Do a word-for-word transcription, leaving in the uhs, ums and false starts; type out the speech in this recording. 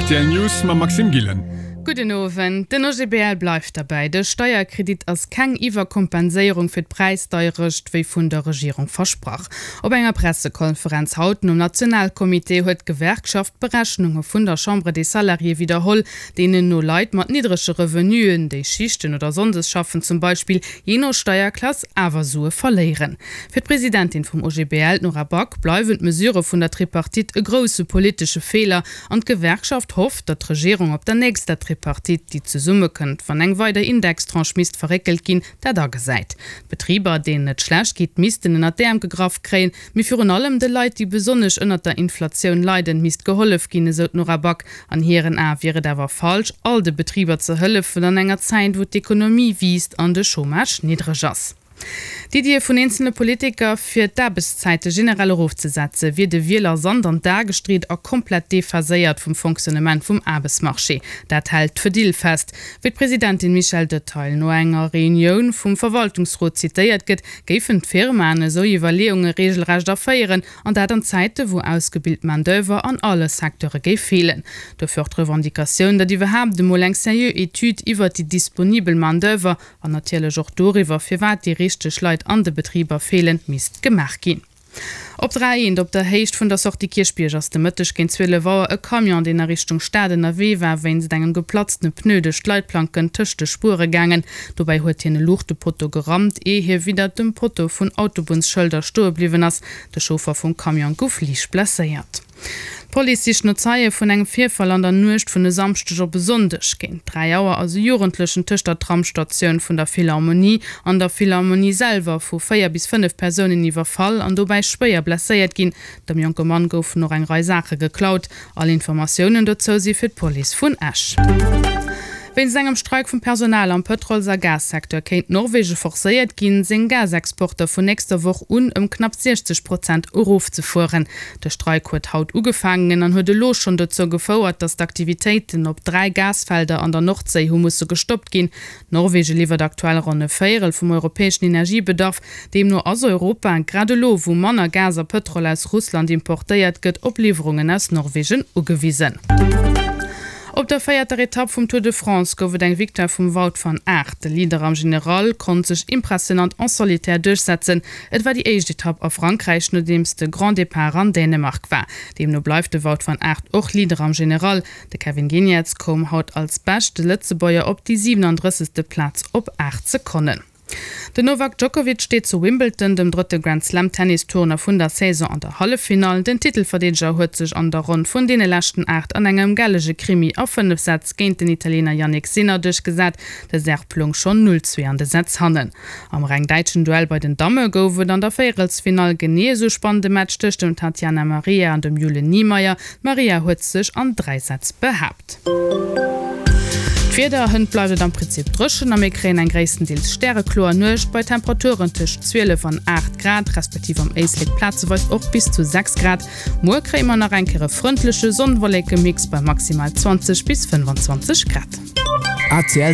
Rtl News mam Maxime Gillen. Gudden Owend. Den O G B L bleift derbäi, De Steierkredit ass keng Iwwerkompenséierung fir d'Präisdeierecht, wéi vun der Regierung versprach. Op enger Pressekonferenz haut nom Nationalkommitee huet d'Gewerkschaft d'Berechnunge vun der Chambre des Salariés widderholl, deenen no Leit mat niddrege Revenuen, déi Schichten oder sonndes schaffen zum Beispill, jee no Steierklass awer Sue verléieren. Fir d'Presidentin vum O G B L, d'Nora Back, bleiwen d'Mesurë vun der Tripartite e grousse politesche Feeler an d'Gewerkschaft hofft, datt d'Regierung op der nächster Tripartite, déi zesummekënnt, wann eng weider Indextranche misst verréckelt ginn, dat agesäit. D'Betriber, deenen et schlecht geet, missten ënnert d'Äerm gegraff kréien, mee virun allem de Leit, déi besonnesch ënnert der Inflatioun leiden, misst gehollef ginn, esou d'Nora Back. An hiren Ae wier et awer falsch, all de Betriber ze hëllefen an enger Zäit, wou d'Ekonomie wiisst an de Chômage niddreg ass. D'Iddië vun eenzele Politiker, fir d'Aarbechtszäite generell erofzesetze wier de Wieler Sand an d'A gestreet a komplett dephaséiert vum Fonctionnement vum Aarbechtsmarché. Dat hält d'Fedil fest. Wéi d'Presidentin Michèle Detaille no enger Reunioun vum Verwaltungsrot zitéiert gëtt, géifen d'Firmaen esou Iwwerleeunge reegelrecht aféieren, an dat an Zäite wou ausgebilt Main-d'oeuvre an alle Secteure géif feelen. Dofir och d'Revendicatioun, datt iwwerhaapt emol eng seriö Etüd iwwert déi disponibel Main-d'oeuvre an natierlech och doriwwer, firwat déi richteg Leit an de Betriber feelen, misst gemaach ginn. Op der A eent op der Héicht vun der Sortie Kierchbierg ass de Mëtteg géint zwielef Auer e Camion, deen a Richtung Stad ënnerwee war, wéinst engem geplatztene Pneu duerch d'Leitplanken tëscht de Spuere gaangen. Dobäi huet hien e Luuchtepotto gerammt, ier hie widdert dem Potto vun Autobunnsschëlder stoe bliwwen ass. De Chauffer vum Camion gouf liicht blesséiert. D'Police sicht no Zeie vun engem Virfall an der Nuecht vun e Samschdeg op e Sonndeg. Géint dräi Auer ass e Jugendlechen tëscht der Tramsstatioun vun der Philharmonie an der Philharmonie selwer vu véier bis fënnef Persounen iwwerfall an dobäi schwéier blesséiert ginn. Dem jonke Mann goufen och eng Rei Saache geklaut. All Informatiounen dozou si fir d'Police vun Esch. Wéinst engem Streik vum Personal am Pëtrols a Gassecteur kéint Norwege forcéiert ginn, seng Gasexporter vun nächster Woch un ëm knapp siechzeg Prozent erofzefueren. De Streik huet haut ugefaangen an huet elo schonn dozou gefouert, datt d'Aktivitéiten op dräi Gasfelder an der Nordséi hu musse gestoppt ginn. Norwege liwwert aktuell ronn e Véierel vum europäeschen Energiebedarf. Deemno ass Europa, grad elo wou manner Gas a Pëtrol aus Russland importéiert gëtt, op Liwwerungen aus Norwegen ugewisen. Op der véierter Etapp vum Tour de France gouf et eng Victoire vum Wout van Aert. De Leader am General konnt sech impressionant en solitaire duerchsetzen. Et war déi éischt Etapp a Frankräich, nodeems de Grand Depart an Dänemark war. Deemno bleift de Wout van Aert och Leader am General. De Kevin Geniets koum haut als beschte Lëtzebuerger op déi siewenunddrëssegste Plaz op aacht Sekonnen. Den Novak Djokovic steet zu Wimbledon, dem drëtte Grand-Slam-Tennistournoi vun der Saison, an der Halleffinall. Den Titelverdeedeger huet sech an der Ronn vun deene leschten aacht an engem gellege Krimi a fënnef Sätz géint den Italiener Jannik Sinner duerchgesat. De Serb loung schonn null zwee an de Sätz hannen. Am reng däitschen Duell bei den Damme gouf et an der Véierelsfinall genee esou spannende Match tëscht dem Tatjana Maria an dem Jule Niemeier. D'Maria huet sech an dräi Sätz behaapt. D'Wieder, Hënt bleift et am Prinzip dréchen a mir kréien eng gréisstendeels stärekloer Nuecht bei Temperaturen tëscht zwielef an aacht Grad, respektiv am Éislek plazeweis och bis zu sechs Grad. Muer kréie mer nach eng Kéier e frëndleche Sonn-Wolleke-Mix bei maximal zwanzeg bis fënnfanzwanzeg Grad. R T L.